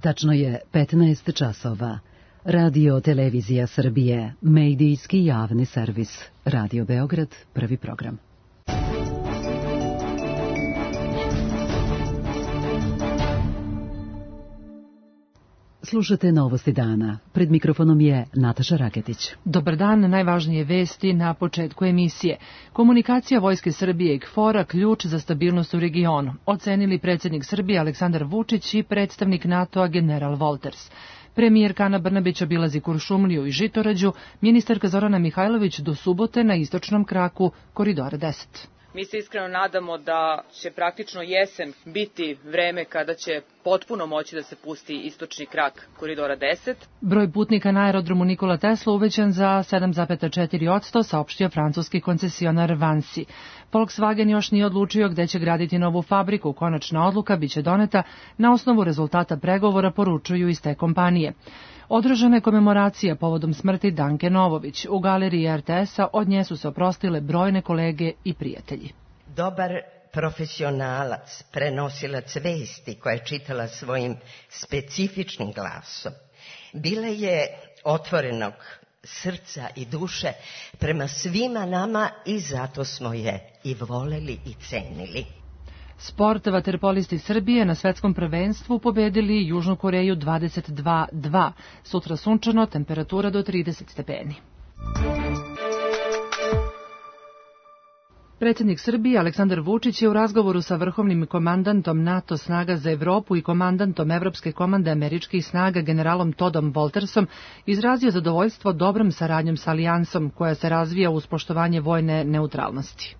Tačno je 15 časova. Radio Televizija Srbije, medijski javni servis. Radio Beograd, prvi program. Slušate novosti dana. Pred mikrofonom je Nataša Raketić. Dobar dan, najvažnije vesti na početku emisije. Komunikacija Vojske Srbije i KFOR-a ključ za stabilnost u regionu, ocenili predsjednik Srbije Aleksandar Vučić i predstavnik NATO-a general Wolters. Premijerka Ana Brnabić obilazi Kuršumliju i Žitorađu, ministarka Zorana Mihajlović do subote na istočnom kraku Koridora 10. Mi se iskreno nadamo da će praktično jesen biti vreme kada će potpuno moći da se pusti istočni krak Koridora 10. Broj putnika na aerodromu Nikola Tesla uvećan za 7,4%, saopštio francuski koncesionar Vansi. Volkswagen još nije odlučio gde će graditi novu fabriku. Konačna odluka biće doneta na osnovu rezultata pregovora, poručuju iz te kompanije. Održana je komemoracija povodom smrti Danke Novović. U galeriji RTS-a od nje su se oprostile brojne kolege i prijatelji. Dobar profesionalac, prenosilac vesti koja je čitala svojim specifičnim glasom. Bila je otvorenog srca i duše prema svima nama i zato smo je i voleli i cenili. Sport, vaterpolisti Srbije na svetskom prvenstvu pobedili Južnu Koreju 22-2. Sutra sunčano, temperatura do 30 stepeni. Predsjednik Srbije Aleksandar Vučić je u razgovoru sa vrhovnim komandantom NATO snaga za Evropu i komandantom Evropske komande američkih snaga generalom Toddom Woltersom izrazio zadovoljstvo dobrom saradnjom sa alijansom koja se razvija uz poštovanje vojne neutralnosti.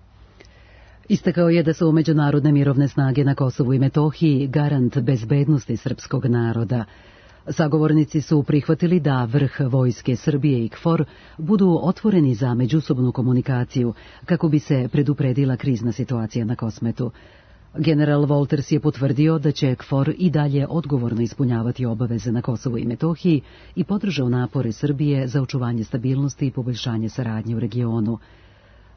Istakao je da su međunarodne mirovne snage na Kosovu i Metohiji garant bezbednosti srpskog naroda. Sagovornici su prihvatili da vrh Vojske Srbije i KFOR budu otvoreni za međusobnu komunikaciju kako bi se predupredila krizna situacija na Kosmetu. General Wolters je potvrdio da će KFOR i dalje odgovorno ispunjavati obaveze na Kosovu i Metohiji i podržao napore Srbije za očuvanje stabilnosti i poboljšanje saradnje u regionu.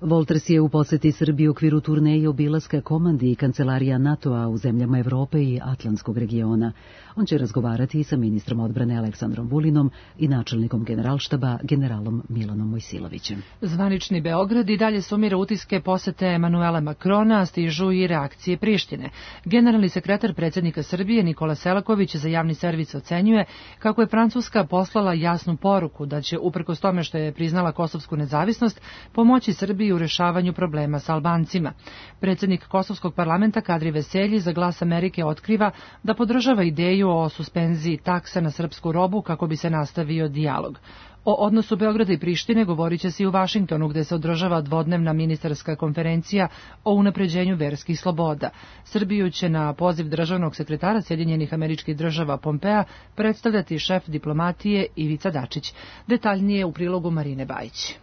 Wolters je u poseti Srbiji u okviru turneje obilaska komandi i kancelarija NATO-a u zemljama Evrope i Atlantskog regiona. On će razgovarati sa ministrom odbrane Aleksandrom Vulinom i načelnikom generalštaba generalom Milanom Mojsilovićem. Zvanični Beograd i dalje sumira utiske posete Emanuela Makrona, stižu i reakcije Prištine. Generalni sekretar predsjednika Srbije Nikola Selaković za javni servis ocenjuje kako je Francuska poslala jasnu poruku da će, uprkos tome što je priznala kosovsku nezavisnost, pomoći Srbiji u rešavanju problema sa Albancima. Predsjednik Kosovskog parlamenta Kadri Veselji za Glas Amerike otkriva da podržava ideju o suspenziji taksa na srpsku robu kako bi se nastavio dijalog. O odnosu Beograda i Prištine govorit će se i u Vašingtonu, gde se održava dvodnevna ministarska konferencija o unapređenju verskih sloboda. Srbiju će na poziv državnog sekretara Sjedinjenih Američkih Država Pompea predstavljati šef diplomatije Ivica Dačić. Detaljnije u prilogu Marine Bajić.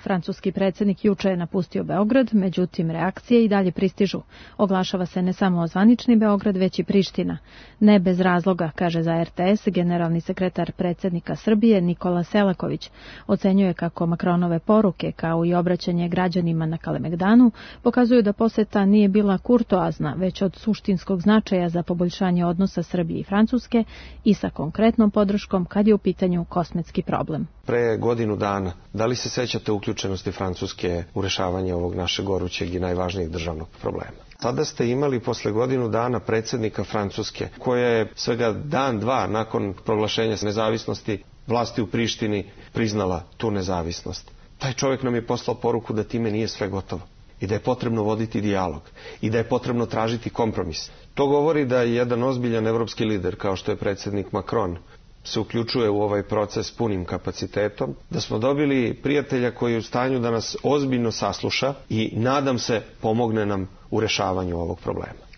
Francuski predsjednik juče je napustio Beograd, međutim reakcije i dalje pristižu. Oglašava se ne samo zvanični Beograd, već i Priština. Ne bez razloga, kaže za RTS generalni sekretar predsjednika Srbije Nikola Selaković. Ocenjuje kako Makronove poruke, kao i obraćanje građanima na Kalemegdanu, pokazuju da poseta nije bila kurtoazna, već od suštinskog značaja za poboljšanje odnosa Srbije i Francuske i sa konkretnom podrškom kad je u pitanju kosmetski problem. Pre godinu dana, da li se sećate uključenosti Francuske u rešavanje ovog našeg gorućeg i najvažnijeg državnog problema? Tada ste imali posle godinu dana predsjednika Francuske, koja je svega dan, dva nakon proglašenja nezavisnosti vlasti u Prištini priznala tu nezavisnost. Taj čovjek nam je poslao poruku da time nije sve gotovo i da je potrebno voditi dijalog i da je potrebno tražiti kompromis. To govori da je jedan ozbiljan evropski lider kao što je predsjednik Macron se uključuje u ovaj proces punim kapacitetom, da smo dobili prijatelja koji je u stanju da nas ozbiljno sasluša i nadam se pomogne nam u rešavanju ovog problema.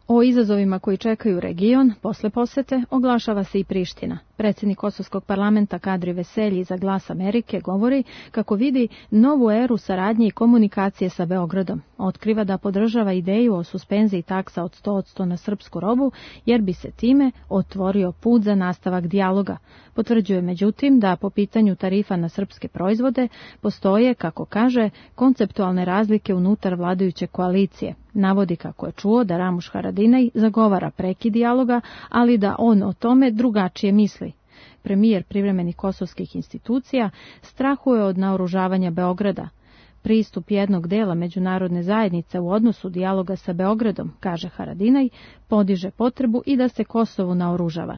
O izazovima koji čekaju region posle posete oglašava se i Priština. Predsjednik Kosovskog parlamenta Kadri Veselji za Glas Amerike govori kako vidi novu eru saradnje i komunikacije sa Beogradom. Otkriva da podržava ideju o suspenziji taksa od 100% na srpsku robu, jer bi se time otvorio put za nastavak dijaloga. Potvrđuje međutim da po pitanju tarifa na srpske proizvode postoje, kako kaže, konceptualne razlike unutar vladajuće koalicije. Navodi kako je čuo da Ramuš Haradinaj zagovara prekid dijaloga, ali da on o tome drugačije misli. Premijer privremenih kosovskih institucija strahuje od naoružavanja Beograda. Pristup jednog dela međunarodne zajednice u odnosu dijaloga sa Beogradom, kaže Haradinaj, podiže potrebu i da se Kosovo naoružava.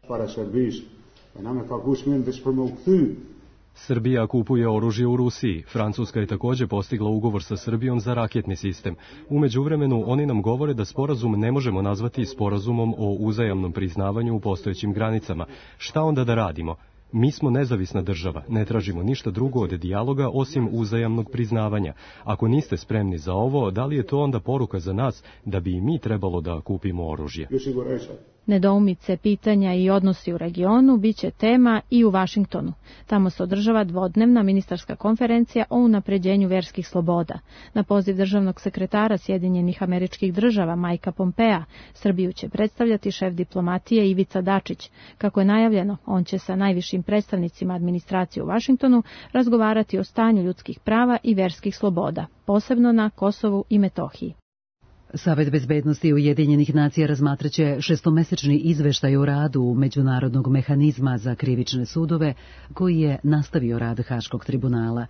Srbija kupuje oružje u Rusiji. Francuska je također postigla ugovor sa Srbijom za raketni sistem. U međuvremenu oni nam govore da sporazum ne možemo nazvati sporazumom o uzajamnom priznavanju u postojećim granicama. Šta onda da radimo? Mi smo nezavisna država, ne tražimo ništa drugo od dijaloga osim uzajamnog priznavanja. Ako niste spremni za ovo, da li je to onda poruka za nas da bi i mi trebalo da kupimo oružje? Nedoumice, pitanja i odnosi u regionu biće tema i u Vašingtonu. Tamo se održava dvodnevna ministarska konferencija o unapređenju verskih sloboda. Na poziv državnog sekretara Sjedinjenih Američkih Država Majka Pompea, Srbiju će predstavljati šef diplomatije Ivica Dačić. Kako je najavljeno, on će sa najvišim predstavnicima administracije u Vašingtonu razgovarati o stanju ljudskih prava i verskih sloboda, posebno na Kosovu i Metohiji. Savet bezbednosti Ujedinjenih nacija razmatraće šestomesečni izveštaj o radu Međunarodnog mehanizma za krivične sudove, koji je nastavio rad Haškog tribunala.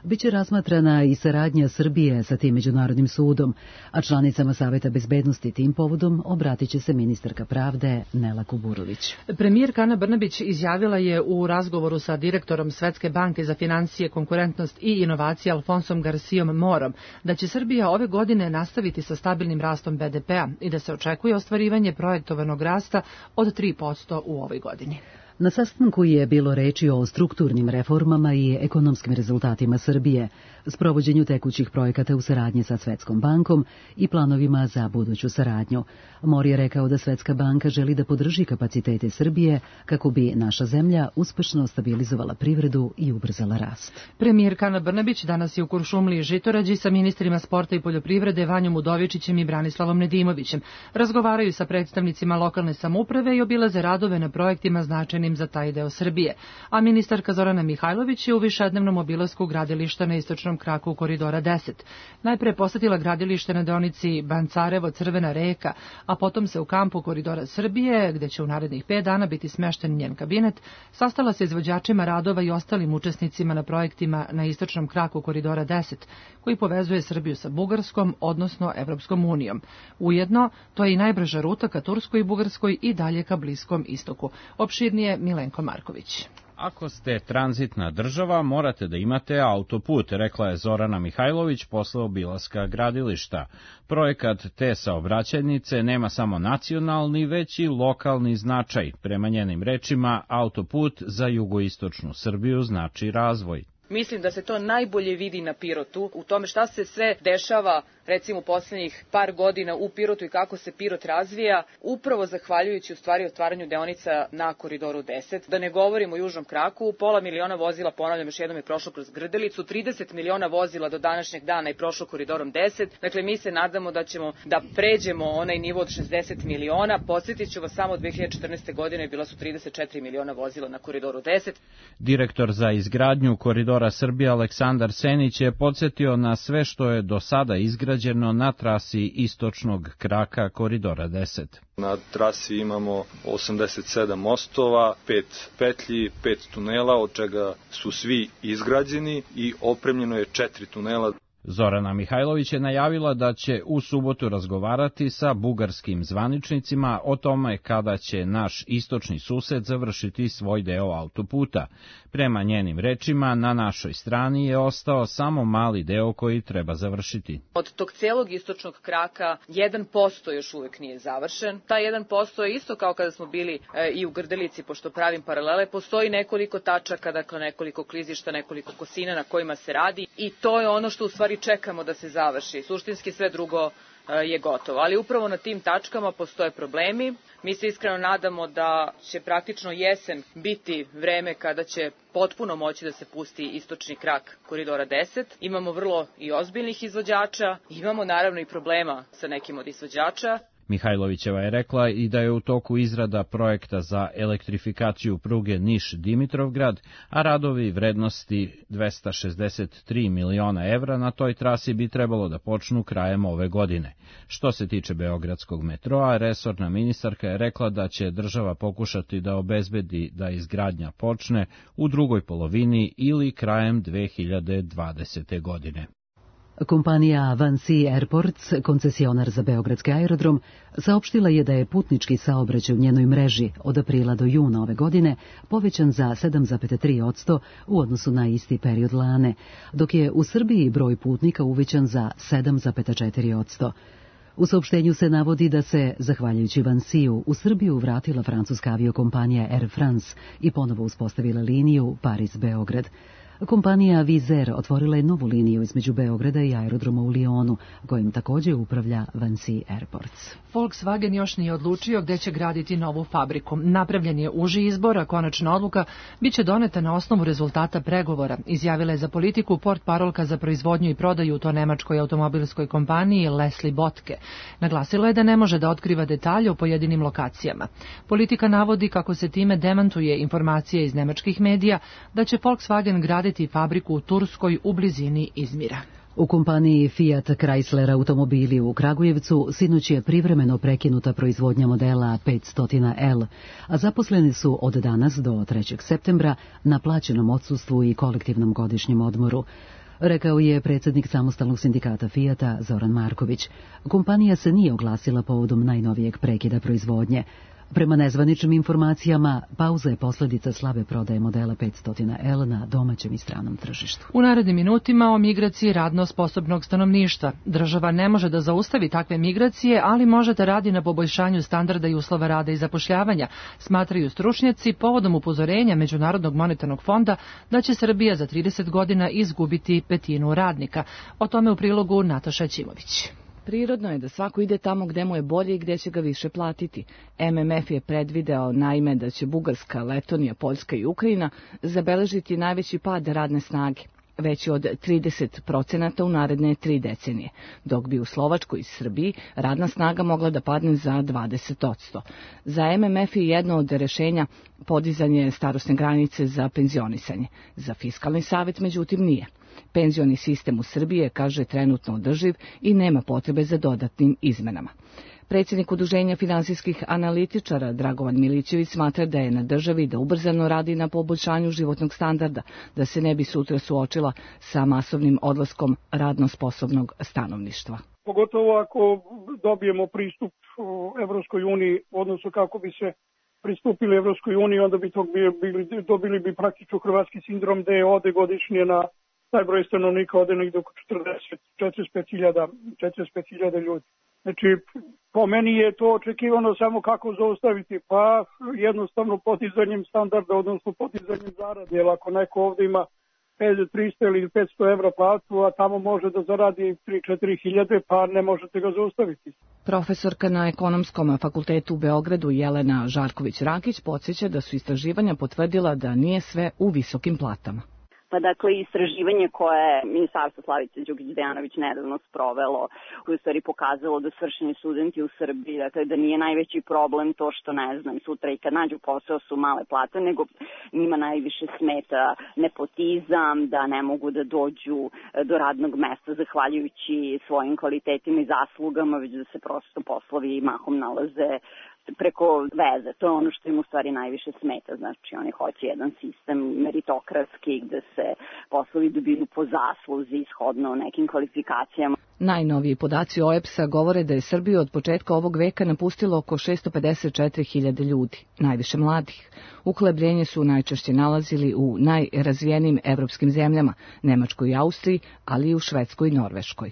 Biće razmatrana i saradnja Srbije sa tim međunarodnim sudom, a članicama Saveta bezbednosti tim povodom obratit će se ministarka pravde Nela Kuburović. Premijerka Ana Brnabić izjavila je u razgovoru sa direktorom Svetske banke za financije, konkurentnost i inovacije Alfonsom Garcijom Morom da će Srbija ove godine nastaviti sa stabilnim rastom BDP-a i da se očekuje ostvarivanje projektovanog rasta od 3% u ovoj godini. Na sastanku je bilo reči o strukturnim reformama i ekonomskim rezultatima Srbije, sprovođenju tekućih projekata u saradnji sa Svetskom bankom i planovima za buduću saradnju. Mor je rekao da Svetska banka želi da podrži kapacitete Srbije kako bi naša zemlja uspešno stabilizovala privredu i ubrzala rast. Premijerka Ana Brnabić danas je u Kuršumliji i Žitorađi sa ministrima sporta i poljoprivrede Vanjom Udovičićem i Branislavom Nedimovićem. Razgovaraju sa predstavnicima lokalne samouprave i obilaze radove na projektima značajnim za taj deo Srbije. A ministarka Zorana Mihajlović je u višednevnom obilasku gradilišta na istočnom kraku koridora 10. Najpre posetila gradilište na deonici Bancarevo-Crvena reka, a potom se u kampu koridora Srbije, gde će u narednih 5 dana biti smešten njen kabinet, sastala se izvođačima radova i ostalim učesnicima na projektima na istočnom kraku koridora 10, koji povezuje Srbiju sa Bugarskom, odnosno Evropskom unijom. Ujedno, to je i najbrža ruta ka Turskoj i Bugarskoj i dalje ka Bliskom istoku. Opširnije Milenko Marković. Ako ste tranzitna država, morate da imate autoput, rekla je Zorana Mihajlović posle obilaska gradilišta. Projekat te saobraćajnice nema samo nacionalni, već i lokalni značaj. Prema njenim rečima, autoput za jugoistočnu Srbiju znači razvoj. Mislim da se to najbolje vidi na Pirotu, u tome šta se sve dešava, recimo u posljednjih par godina u Pirotu i kako se Pirot razvija, upravo zahvaljujući u stvari otvaranju deonica na koridoru 10. Da ne govorimo o južnom kraku, 500.000 vozila, ponavljam još jednom, je prošlo kroz Grdelicu, 30 miliona vozila do današnjeg dana je prošlo koridorom 10. Dakle, mi se nadamo da ćemo da pređemo onaj nivo od 60 miliona. Podsjetit ću vas, samo 2014. godine bila su 34 miliona vozila na koridoru 10. Direktor za izgradnju koridora Srbije Aleksandar Senić je podsjetio na sve što je do sada izgrađeno na trasi istočnog kraka koridora 10. Na trasi imamo 87 mostova, 5 petlji, 5 tunela, od čega su svi izgrađeni i opremljeno je 4 tunela. Zorana Mihajlović je najavila da će u subotu razgovarati sa bugarskim zvaničnicima o tome kada će naš istočni sused završiti svoj deo autoputa. Prema njenim rečima, na našoj strani je ostao samo mali deo koji treba završiti. Od tog celog istočnog kraka 1% još uvek nije završen. Taj 1% je isto kao kada smo bili i u Grdelici, pošto pravim paralele, postoji nekoliko tačaka, dakle nekoliko klizišta, nekoliko kosina na kojima se radi i to je ono što u stvari čekamo da se završi. Suštinski sve drugo je gotovo. Ali upravo na tim tačkama postoje problemi. Mi se iskreno nadamo da će praktično jesen biti vreme kada će potpuno moći da se pusti istočni krak Koridora 10. Imamo vrlo i ozbiljnih izvođača, imamo naravno i problema sa nekim od izvođača. Mihajlovićeva je rekla i da je u toku izrada projekta za elektrifikaciju pruge Niš-Dimitrovgrad, a radovi vrednosti 263 miliona evra na toj trasi bi trebalo da počnu krajem ove godine. Što se tiče beogradskog metroa, resorna ministarka je rekla da će država pokušati da obezbedi da izgradnja počne u drugoj polovini ili krajem 2020. godine. Kompanija Vansi Airports, koncesionar za beogradski aerodrom, saopštila je da je putnički saobraćaj u njenoj mreži od aprila do juna ove godine povećan za 7,3% u odnosu na isti period lane, dok je u Srbiji broj putnika uvećan za 7,4%. U saopštenju se navodi da se, zahvaljujući Vansiju, u Srbiju vratila francuska aviokompanija Air France i ponovo uspostavila liniju Paris-Beograd. Kompanija Vizer otvorila je novu liniju između Beograda i aerodroma u Lionu, kojim također upravlja Vansi Airports. Volkswagen još nije odlučio gde će graditi novu fabriku. Napravljen je uži izbor, a konačna odluka biće doneta na osnovu rezultata pregovora, izjavila je za Politiku portparolka za proizvodnju i prodaju u to nemačkoj automobilskoj kompaniji Leslie Botke. Naglasila je da ne može da otkriva detalje o pojedinim lokacijama. Politika navodi kako se time demantuje informacije iz nemačkih medija da će Volkswagen graditi fabriku u Turskoj u blizini Izmira. U kompaniji Fiat Chrysler automobili u Kragujevcu sinoć je privremeno prekinuta proizvodnja modela 500L, a zaposleni su od danas do 3. septembra na plaćenom odsustvu i kolektivnom godišnjem odmoru, rekao je predsjednik samostalnog sindikata Fijata Zoran Marković. Kompanija se nije oglasila povodom najnovijeg prekida proizvodnje. Prema nezvaničnim informacijama, pauza je posljedica slabe prodaje modela 500L na domaćem i stranom tržištu. U narednim minutima o migraciji radno sposobnog stanovništva. Država ne može da zaustavi takve migracije, ali može da radi na poboljšanju standarda i uslova rada i zapošljavanja, smatraju stručnjaci povodom upozorenja Međunarodnog monetarnog fonda da će Srbija za 30 godina izgubiti petinu radnika. O tome u prilogu Nataša Ćimović. Prirodno je da svako ide tamo gde mu je bolje i gde će ga više platiti. MMF je predvideo naime da će Bugarska, Letonija, Poljska i Ukrajina zabeležiti najveći pad radne snage, veći od 30% u naredne 3 decenije, dok bi u Slovačkoj i Srbiji radna snaga mogla da padne za 20%. Za MMF je jedno od rešenja podizanje starosne granice za penzionisanje. Za Fiskalni savet, međutim, nije. Penzioni sistem u Srbiji je, kaže, trenutno održiv i nema potrebe za dodatnim izmenama. Predsjednik Udruženja finansijskih analitičara Dragovan Milićević smatra da je na državi da ubrzano radi na poboljšanju životnog standarda, da se ne bi sutra suočila sa masovnim odlaskom radno sposobnog stanovništva. Pogotovo ako dobijemo pristup Evropskoj uniji, odnosno kako bi se pristupili Evropskoj uniji, onda bi dobili bi praktično hrvatski sindrom da je ode godišnje na taj broj stanovnika ode negdje oko 45.000 ljudi. Znači, po meni je to očekivano samo kako zaustaviti, pa jednostavno podizanjem standarda, odnosno podizanjem zarade, jer ako neko ovdje ima 300 ili 500 evra platu, a tamo može da zaradi 3-4 hiljade, pa ne možete ga zaustaviti. Profesorka na Ekonomskom fakultetu u Beogradu Jelena Žarković-Rakić podsjeća da su istraživanja potvrdila da nije sve u visokim platama. Pa dakle, istraživanje koje je Ministarstvo Slavice Đukić-Dejanović nedavno sprovelo, koje u stvari pokazalo da svršeni studenti u Srbiji, dakle da nije najveći problem to što, ne znam, sutra i kad nađu posao su male plate, nego njima najviše smeta nepotizam, da ne mogu da dođu do radnog mesta zahvaljujući svojim kvalitetima i zaslugama, već da se prosto poslovi mahom nalaze preko veze. To je ono što im u stvari najviše smeta. Znači, oni hoće jedan sistem meritokratski gde se poslovi dobiju po zasluzi, ishodno nekim kvalifikacijama. Najnoviji podaci OEBS-a govore da je Srbiju od početka ovog veka napustilo oko 654.000 ljudi, najviše mladih. Uhlebljenje su najčešće nalazili u najrazvijenijim evropskim zemljama, Nemačkoj i Austriji, ali i u Švedskoj i Norveškoj.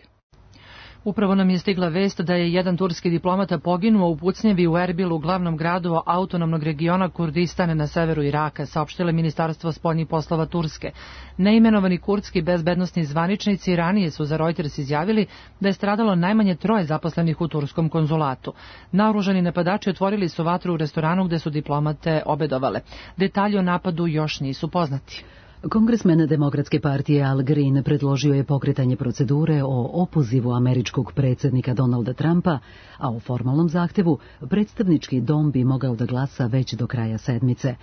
Upravo nam je stigla vest da je jedan turski diplomata poginuo u pucnjevi u Erbilu, glavnom gradu autonomnog regiona Kurdistan na severu Iraka, saopštilo Ministarstvo spoljnih poslova Turske. Neimenovani kurdski bezbednosni zvaničnici ranije su za Reuters izjavili da je stradalo najmanje 3 zaposlenih u turskom konzulatu. Naoružani napadači otvorili su vatru u restoranu gde su diplomate obedovale. Detalji o napadu još nisu poznati. Kongresmen Demokratske partije Al Green predložio je pokretanje procedure o opozivu američkog predsjednika Donalda Trumpa, a o formalnom zahtevu predstavnički dom bi mogao da glasa već do kraja sedmice.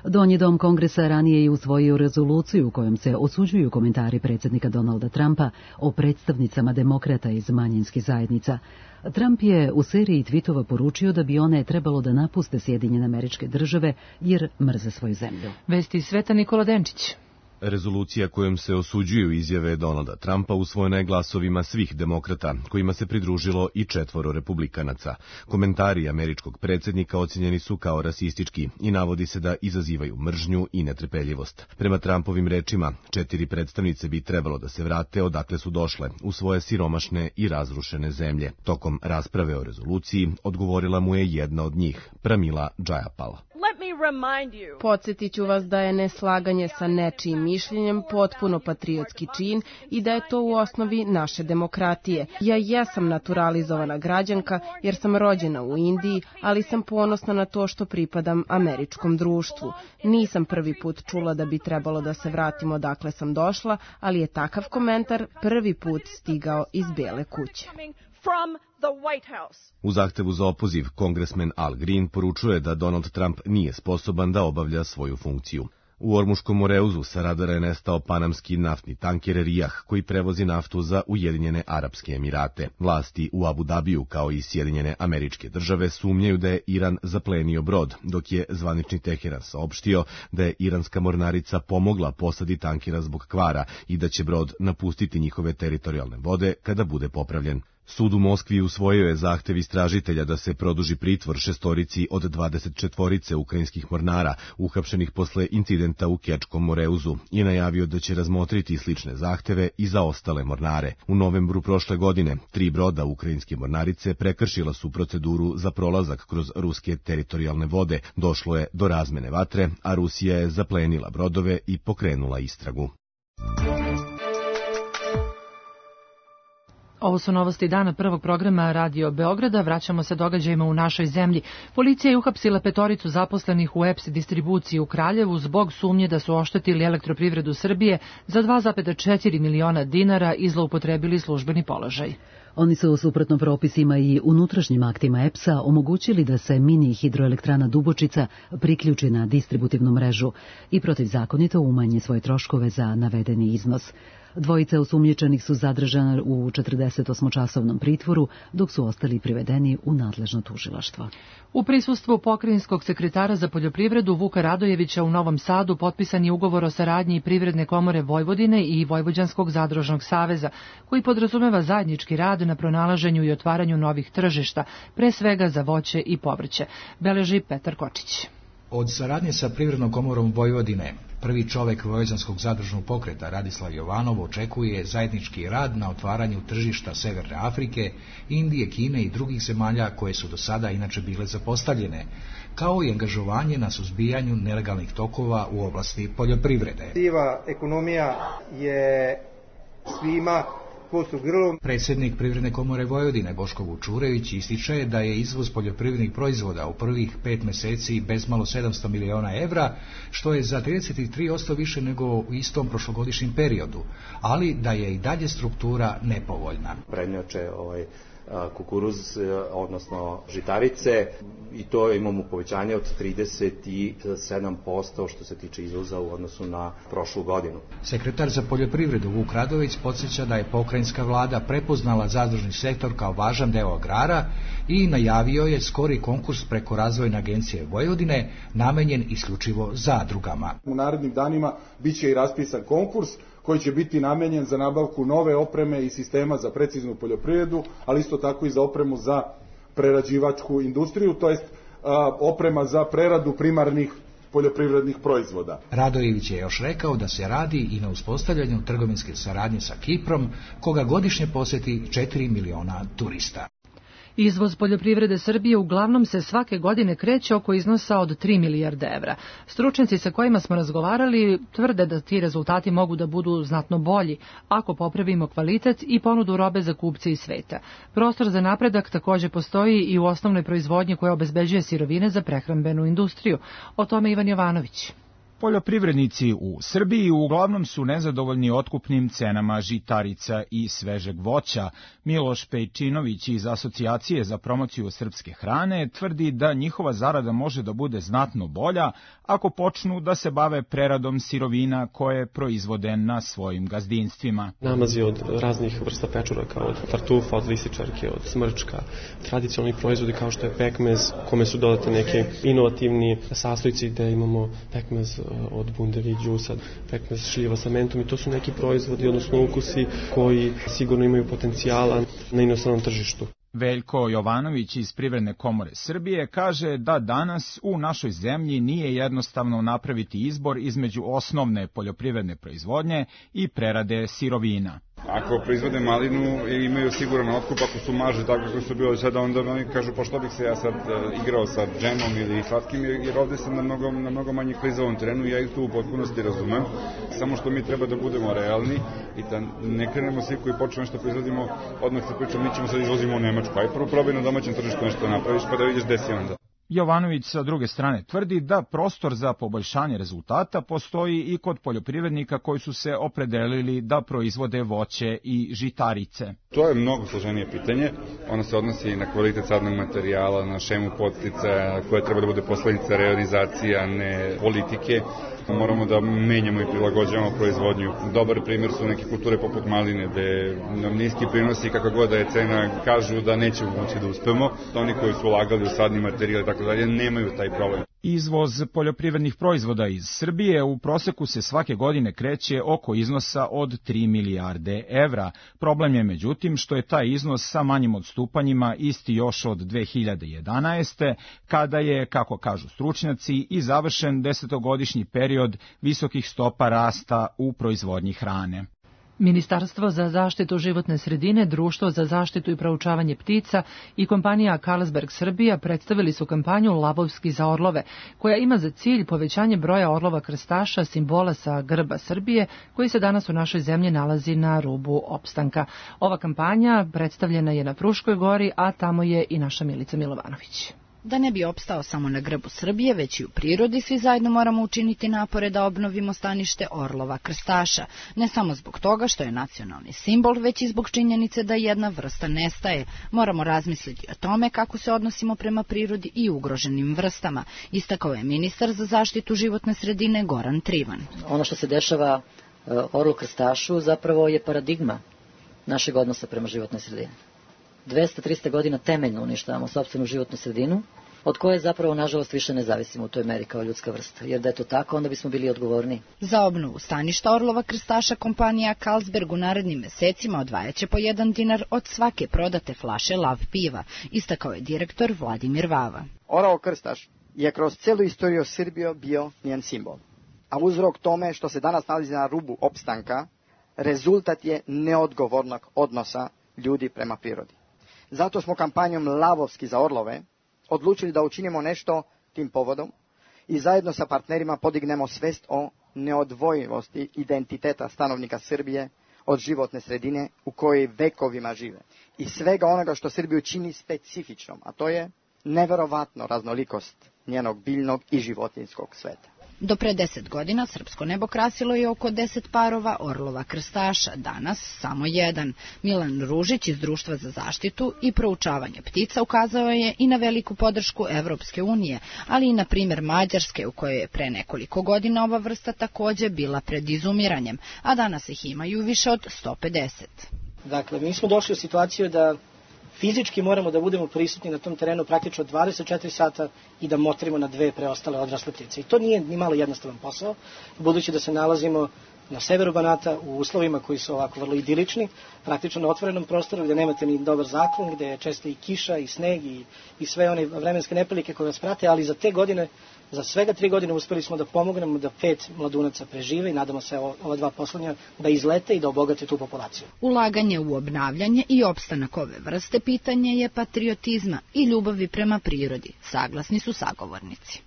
Donji dom Kongresa ranije je usvojio rezoluciju u kojom se osuđuju komentari predsjednika Donalda Trumpa o predstavnicama demokrata iz manjinskih zajednica. Trump je u seriji tvitova poručio da bi one trebalo da napuste Sjedinjene Američke Države jer mrze svoju zemlju. Vesti sveta Nikola Denčić. Rezolucija kojom se osuđuju izjave Donalda Trumpa usvojena je glasovima svih demokrata, kojima se pridružilo i 4 republikanaca. Komentari američkog predsjednika ocjenjeni su kao rasistički i navodi se da izazivaju mržnju i netrpeljivost. Prema Trumpovim rečima, 4 predstavnice bi trebalo da se vrate odakle su došle, u svoje siromašne i razrušene zemlje. Tokom rasprave o rezoluciji odgovorila mu je jedna od njih, Pramila Jayapal. Podsjetit ću vas da je neslaganje sa nečijim mišljenjem potpuno patriotski čin i da je to u osnovi naše demokratije. Ja jesam naturalizovana građanka jer sam rođena u Indiji, ali sam ponosna na to što pripadam američkom društvu. Nisam prvi put čula da bi trebalo da se vratimo odakle sam došla, ali je takav komentar prvi put stigao iz Bele kuće. U zahtevu za opoziv, kongresmen Al Green poručuje da Donald Trump nije sposoban da obavlja svoju funkciju. U Ormuškom Moreuzu sa radara je nestao panamski naftni tanker Rijah koji prevozi naftu za Ujedinjene Arapske Emirate. Vlasti u Abu Dabiju kao i Sjedinjene Američke Države sumnjaju da je Iran zaplenio brod, dok je zvanični Teheran saopštio da je iranska mornarica pomogla posadi tankera zbog kvara i da će brod napustiti njihove teritorijalne vode kada bude popravljen. Sud u Moskvi usvojio je zahtev istražitelja da se produži pritvor 6 od 24 ukrajinskih mornara uhapšenih posle incidenta u Kečkom Moreuzu i najavio da će razmotriti slične zahteve i za ostale mornare. U novembru prošle godine 3 broda ukrajinske mornarice prekršila su proceduru za prolazak kroz ruske teritorijalne vode. Došlo je do razmene vatre, a Rusija je zaplenila brodove i pokrenula istragu. Ovo su novosti dana prvog programa Radio Beograda. Vraćamo se događajima u našoj zemlji. Policija je uhapsila 5 zaposlenih u EPS distribuciji u Kraljevu zbog sumnje da su oštetili Elektroprivredu Srbije za 2,4 miliona dinara i zloupotrebili službeni položaj. Oni su suprotno propisima i unutrašnjim aktima EPS-a omogućili da se mini hidroelektrana Dubočica priključi na distributivnu mrežu i protivzakonito umanje svoje troškove za navedeni iznos. 2 osumnjičenih su zadržana u 48-časovnom pritvoru, dok su ostali privedeni u nadležno tužilaštvo. U prisustvu pokrajinskog sekretara za poljoprivredu Vuka Radojevića u Novom Sadu potpisan je ugovor o saradnji Privredne komore Vojvodine i Vojvođanskog zadružnog saveza, koji podrazumeva zajednički rad na pronalaženju i otvaranju novih tržišta, pre svega za voće i povrće, beleži Petar Kočić. Od saradnje sa Privrednom komorom Vojvodine, prvi čovek Vojvođanskog zadružnog pokreta Radislav Jovanov očekuje zajednički rad na otvaranju tržišta Severne Afrike, Indije, Kine i drugih zemalja koje su do sada inače bile zapostavljene, kao i angažovanje na suzbijanju nelegalnih tokova u oblasti poljoprivrede. Siva ekonomija je svima kosu grlom. Predsjednik Privredne komore Vojvodine Boško Vučurević ističe da je izvoz poljoprivrednih proizvoda u prvih 5 meseci bezmalo 700 miliona evra, što je za 33% više nego u istom prošlogodišnjem periodu, ali da je i dalje struktura nepovoljna. Prednjače kukuruz, odnosno žitarice, i to imamo povećanje od 37% što se tiče izvoza u odnosu na prošlu godinu. Sekretar za poljoprivredu Vuk Radović podsjeća da je pokrajinska vlada prepoznala zadružni sektor kao važan deo agrara i najavio je skori konkurs preko Razvojne agencije Vojvodine namenjen isključivo zadrugama. U narednim danima biće i raspisan konkurs koji će biti namenjen za nabavku nove opreme i sistema za preciznu poljoprivredu, ali isto tako i za opremu za prerađivačku industriju, to jest oprema za preradu primarnih poljoprivrednih proizvoda. Radojević je još rekao da se radi i na uspostavljanju trgovinske saradnje sa Kiprom, koga godišnje poseti 4 miliona turista. Izvoz poljoprivrede Srbije uglavnom se svake godine kreće oko iznosa od 3 milijarde evra. Stručnjaci sa kojima smo razgovarali tvrde da ti rezultati mogu da budu znatno bolji ako popravimo kvalitet i ponudu robe za kupce iz sveta. Prostor za napredak također postoji i u osnovnoj proizvodnji koja obezbeđuje sirovine za prehrambenu industriju. O tome Ivan Jovanović. Poljoprivrednici u Srbiji uglavnom su nezadovoljni otkupnim cenama žitarica i svežeg voća. Miloš Pejčinović iz Asocijacije za promociju srpske hrane tvrdi da njihova zarada može da bude znatno bolja ako počnu da se bave preradom sirovina koje proizvode na svojim gazdinstvima. Namazi od raznih vrsta pečuraka, od tartufa, od lisičarke, od smrčka, tradicionalni proizvodi kao što je pekmez, kome su dodate neke inovativni sastojci gde imamo pekmez od bundeve i džusa, pekmez šljiva sa mentom i to su neki proizvodi, odnosno ukusi koji sigurno imaju potencijala na inostranom tržištu. Veljko Jovanović iz Privredne komore Srbije kaže da danas u našoj zemlji nije jednostavno napraviti izbor između osnovne poljoprivredne proizvodnje i prerade sirovina. Ako proizvode malinu i imaju siguran otkup, ako su marže tako kako su bilo sada, onda oni kažu pa što bih se ja sad igrao sa džemom ili slatkim, jer ovde sam na mnogo manjih klizavom terenu i ja ih tu u potpunosti razumem. Samo što mi treba da budemo realni i da ne krenemo svi koji počnu nešto proizvodimo, odmah se pričamo, mi ćemo sad izvozimo u Nemačku, aj prvo probaj na domaćem tržištu nešto napraviš pa da vidiš gde si onda. Jovanović sa druge strane tvrdi da prostor za poboljšanje rezultata postoji i kod poljoprivrednika koji su se opredelili da proizvode voće i žitarice. To je mnogo složenije pitanje. Ono se odnosi na kvalitet sadnog materijala, na šemu podsticaja koja treba da bude posledica realizacija, ne politike. Moramo da menjamo i prilagođavamo proizvodnju. Dobar primjer su neke kulture poput maline, gde nam niski prinosi, kakva god da je cena, kažu da nećemo moći da uspemo. Oni koji su ulagali u sadni materijal i tako dalje, nemaju taj problem. Izvoz poljoprivrednih proizvoda iz Srbije u proseku se svake godine kreće oko iznosa od 3 milijarde evra. Problem je međutim što je taj iznos sa manjim odstupanjima isti još od 2011. kada je, kako kažu stručnjaci, i završen 10-godišnji period visokih stopa rasta u proizvodnji hrane. Ministarstvo za zaštitu životne sredine, Društvo za zaštitu i proučavanje ptica i kompanija Carlsberg Srbija predstavili su kampanju Lavovski za orlove, koja ima za cilj povećanje broja orlova krstaša, simbola sa grba Srbije, koji se danas u našoj zemlji nalazi na rubu opstanka. Ova kampanja predstavljena je na Fruškoj gori, a tamo je i naša Milica Milovanović. Da ne bi opstao samo na grbu Srbije, već i u prirodi, svi zajedno moramo učiniti napore da obnovimo stanište orlova krstaša. Ne samo zbog toga što je nacionalni simbol, već i zbog činjenice da jedna vrsta nestaje. Moramo razmisliti o tome kako se odnosimo prema prirodi i ugroženim vrstama, istakao je ministar za zaštitu životne sredine Goran Trivan. Ono što se dešava orlu krstašu zapravo je paradigma našeg odnosa prema životnoj sredini. 200-300 godina temeljno uništavamo sopstvenu životnu sredinu, od koje zapravo, nažalost, više ne zavisimo u toj meri kao ljudska vrsta. Jer da je to tako, onda bismo bili odgovorni. Za obnovu staništa orlova krstaša kompanija Carlsberg u narednim mesecima odvajaće po 1 dinar od svake prodate flaše lav piva, istakao je direktor Vladimir Vava. Orao krstaš je kroz celu istoriju Srbije bio njen simbol. A uzrok tome što se danas nalazi na rubu opstanka, rezultat je neodgovornog odnosa ljudi prema prirodi. Zato smo kampanjom Lavovski za orlove odlučili da učinimo nešto tim povodom i zajedno sa partnerima podignemo svest o neodvojivosti identiteta stanovnika Srbije od životne sredine u kojoj vekovima žive i svega onoga što Srbiju čini specifičnom, a to je neverovatno raznolikost njenog biljnog i životinjskog sveta. Do pre 10 godina srpsko nebo krasilo je oko 10 parova orlova krstaša, danas samo jedan. Milan Ružić iz Društva za zaštitu i proučavanje ptica ukazao je i na veliku podršku Evropske unije, ali i na primjer Mađarske, u kojoj je pre nekoliko godina ova vrsta takođe bila pred izumiranjem, a danas ih imaju više od 150. Dakle, mi smo došli u situaciju da fizički moramo da budemo prisutni na tom terenu praktično 24 sata i da motrimo na 2 preostale odrasle ptice. I to nije ni malo jednostavan posao, budući da se nalazimo na severu Banata u uslovima koji su ovako vrlo idilični, praktično na otvorenom prostoru gdje nemate ni dobar zaklon, gdje je često i kiša i sneg i sve one vremenske neprilike koje vas prate, ali za te godine, za svega 3 godine uspeli smo da pomognemo da 5 mladunaca prežive i nadamo se ova 2 poslednja da izlete i da obogate tu populaciju. Ulaganje u obnavljanje i opstanak ove vrste pitanje je patriotizma i ljubavi prema prirodi, saglasni su sagovornici.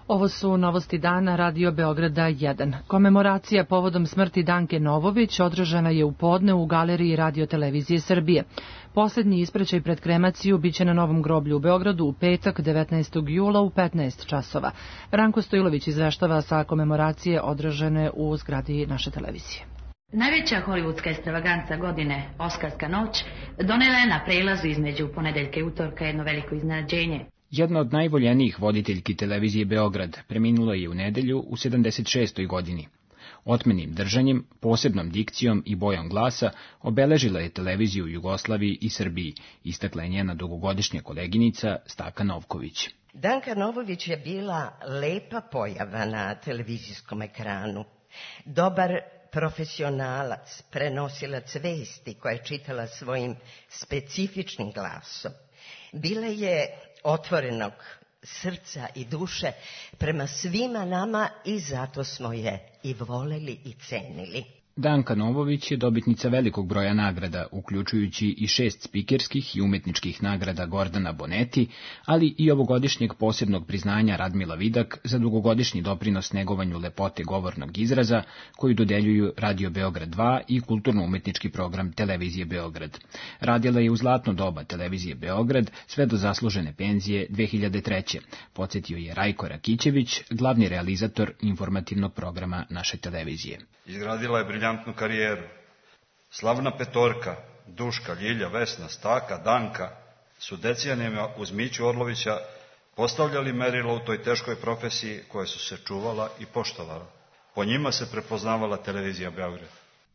Ovo su novosti dana Radio Beograda 1. Komemoracija povodom smrti Danke Novović održana je u podne u galeriji Radio Televizije Srbije. Poslednji ispraćaj pred kremaciju biće na Novom groblju u Beogradu u petak 19. jula u 15 časova. Ranko Stojilović izveštava sa komemoracije održane u zgradi naše televizije. Najveća hollywoodska ekstravaganca godine, Oskarska noć, donela je na prelazu između ponedeljka i utorka jedno veliko iznenađenje. Jedna od najvoljenijih voditeljki televizije Beograd preminula je u nedelju u 76. godini. Otmenim držanjem, posebnom dikcijom i bojom glasa obeležila je televiziju u Jugoslaviji i Srbiji, istakla je njena dugogodišnja koleginica Staka Novković. Danka Novović je bila lepa pojava na televizijskom ekranu. Dobar profesionalac, prenosilac vesti koja je čitala svojim specifičnim glasom. Bila je otvorenog srca i duše prema svima nama i zato smo je i voleli i cenili. Danka Novović je dobitnica velikog broja nagrada, uključujući i 6 spikerskih i umetničkih nagrada Gordana Boneti, ali i ovogodišnjeg posebnog priznanja Radmila Vidak za dugogodišnji doprinos negovanju lepote govornog izraza, koju dodeljuju Radio Beograd 2 i kulturno-umetnički program Televizije Beograd. Radila je u zlatno doba Televizije Beograd sve do zaslužene penzije 2003. Podsjetio je Rajko Rakićević, glavni realizator informativnog programa naše televizije. Izgradila je briljantnu karijeru. Slavna petorka, Duška, Ljilja, Vesna, Staka, Danka su decenijama uz Miću Orlovića postavljali merilo u toj teškoj profesiji koje su se čuvala i poštovala. Po njima se prepoznavala Televizija Beograd.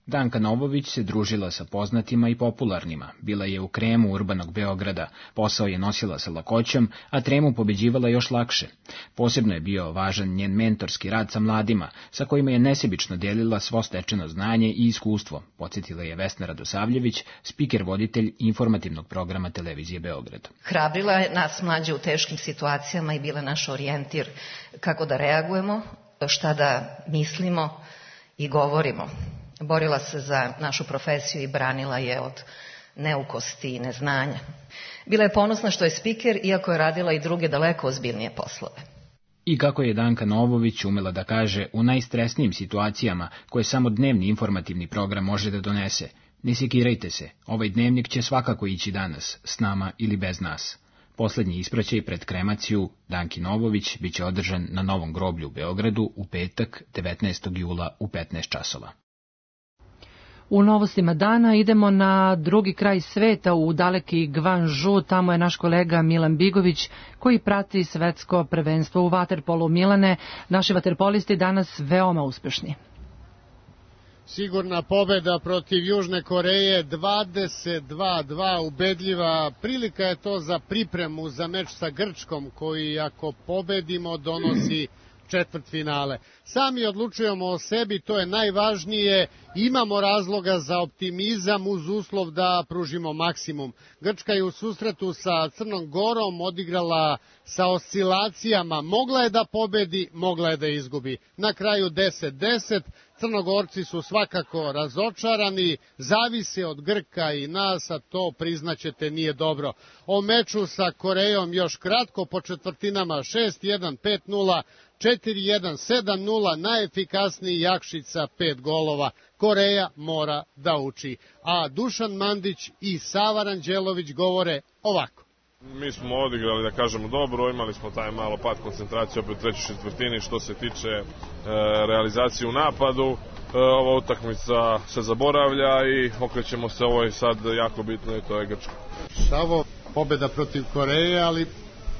Danka Novović se družila sa poznatima i popularnima, bila je u kremu urbanog Beograda, posao je nosila sa lakoćom, a tremu pobeđivala još lakše. Posebno je bio važan njen mentorski rad sa mladima, sa kojima je nesebično delila svo stečeno znanje i iskustvo, podsjetila je Vesna Radosavljević, spiker voditelj informativnog programa Televizije Beograd. Hrabrila je nas mlađe u teškim situacijama i bila naš orijentir kako da reagujemo, šta da mislimo i govorimo. Borila se za našu profesiju i branila je od neukosti i neznanja. Bila je ponosna što je spiker, iako je radila i druge daleko ozbiljnije poslove. I kako je Danka Novović umela da kaže u najstresnijim situacijama koje samo dnevni informativni program može da donese: ne sekirajte se, ovaj dnevnik će svakako ići danas, s nama ili bez nas. Poslednji ispraćaj pred kremaciju Danki Novović biće održan na Novom groblju u Beogradu u petak 19. jula u 15 časova. U novostima dana idemo na drugi kraj sveta, u daleki Gvanžu. Tamo je naš kolega Milan Bigović koji prati svetsko prvenstvo u vaterpolu. Milane, naši vaterpolisti danas veoma uspešni. Sigurna pobeda protiv Južne Koreje, 22-2, ubedljiva. Prilika je to za pripremu za meč sa Grčkom, koji ako pobedimo donosi četvrtfinale. Sami odlučujemo o sebi, to je najvažnije. Imamo razloga za optimizam uz uslov da pružimo maksimum. Grčka je u susretu sa Crnom Gorom odigrala sa oscilacijama. Mogla je da pobedi, mogla je da izgubi. Na kraju 10-10. Crnogorci su svakako razočarani, zavise od Grka i nas, a to priznaćete nije dobro. O meču sa Korejom još kratko po četvrtinama: 6-1, 5-0, 4-1, 7-0, najefikasniji Jakšica 5 golova. Koreja mora da uči. A Dušan Mandić i Sava Ranđelović govore ovako. Mi smo odigrali, da kažemo, dobro, imali smo taj malo pad koncentracije opet u trećoj četvrtini što se tiče realizacije u napadu. Ova utakmica se zaboravlja i okrećemo se ovoj sad jako bitno i to je Grčka. Savo, pobeda protiv Koreje, ali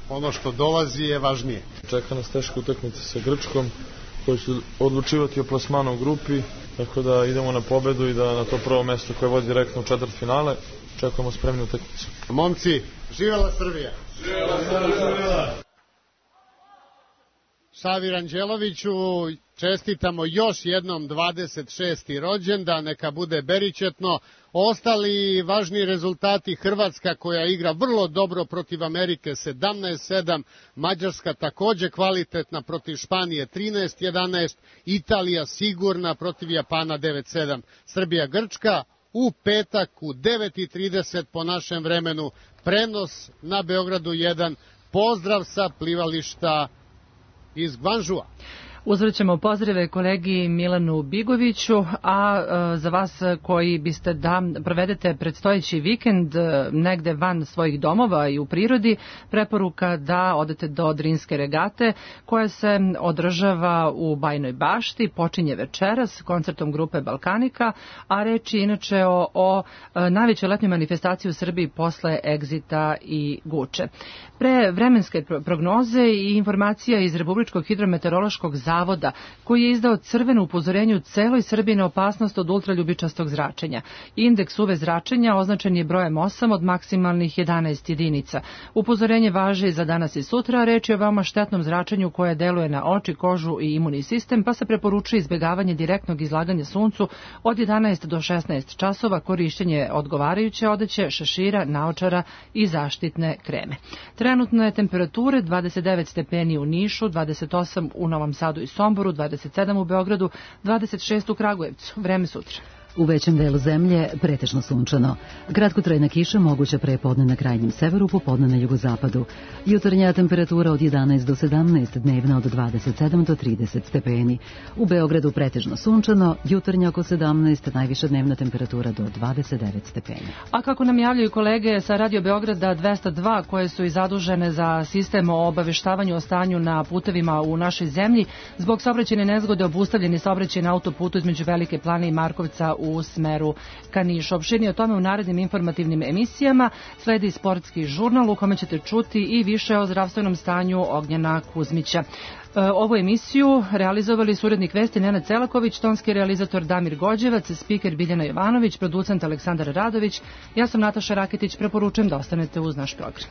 ono što dolazi je važnije. Čeka nas teška utakmica sa Grčkom koji će odlučivati o plasmanu u grupi, tako da idemo na pobedu i da na to prvo mesto koje vodi direktno u četvrtfinale čekamo spremnu utakmicu. Momci, živela Srbija! Živela Srbija! Savi Ranđeloviću čestitamo još jednom 26. rođendan, neka bude beričetno. Ostali važni rezultati: Hrvatska koja igra vrlo dobro protiv Amerike 17-7, Mađarska takođe kvalitetna protiv Španije 13-11, Italija sigurna protiv Japana 9-7, Srbija Grčka u petak u 9:30 po našem vremenu, prenos na Beogradu 1. Pozdrav sa plivališta iz Gvanžua. Uzvraćamo pozdrave kolegi Milanu Bigoviću, a za vas koji biste da provedete predstojeći vikend negde van svojih domova i u prirodi, preporuka da odete do Drinske regate koja se održava u Bajnoj Bašti, počinje večeras koncertom grupe Balkanika, a reč je inače o najvećoj letnjoj manifestaciji u Srbiji posle Egzita i Guče. Pre vremenske prognoze i informacija iz Republičkog hidrometeorološkog zavoda koji je izdao crveno upozorenje u celoj Srbiji na opasnost od ultraljubičastog zračenja. Indeks UV zračenja označen je brojem 8 od maksimalnih 11 jedinica. Upozorenje važi za danas i sutra, a reč je o veoma štetnom zračenju koje deluje na oči, kožu i imunni sistem, pa se preporučuje izbegavanje direktnog izlaganja suncu od 11 do 16 časova, korišćenje odgovarajuće odeće, šešira, naočara i zaštitne kreme. Trenutno je temperature 29 stepeni u Nišu, 28 u Novom Sadu i Somboru, 27 u Beogradu, 26 u Kragujevcu. Vreme sutra. U većem delu zemlje pretežno sunčano. Kratkotrajna kiša moguća prepodne na krajnjem severu, popodne na jugozapadu. Jutarnja temperatura od 11 do 17, dnevna od 27 do 30 stepeni. U Beogradu pretežno sunčano, jutarnja oko 17, najviša dnevna temperatura do 29 stepeni. A kako nam javljaju kolege sa Radio Beograda 202 koje su i zadužene za sistem o obaveštavanju o stanju na putevima u našoj zemlji, zbog saobraćajne nezgode obustavljeni saobraćaj na autoputu između Velike Plane i Markovca u smeru ka Nišu. Opširnije o tome u narednim informativnim emisijama. Sledi sportski žurnal u kome ćete čuti i više o zdravstvenom stanju Ognjena Kuzmića. Ovu emisiju realizovali su urednik vesti Nenad Celaković, tonski realizator Damir Gođevac, spiker Biljana Jovanović, producent Aleksandar Radović. Ja sam Nataša Raketić, preporučujem da ostanete uz naš program.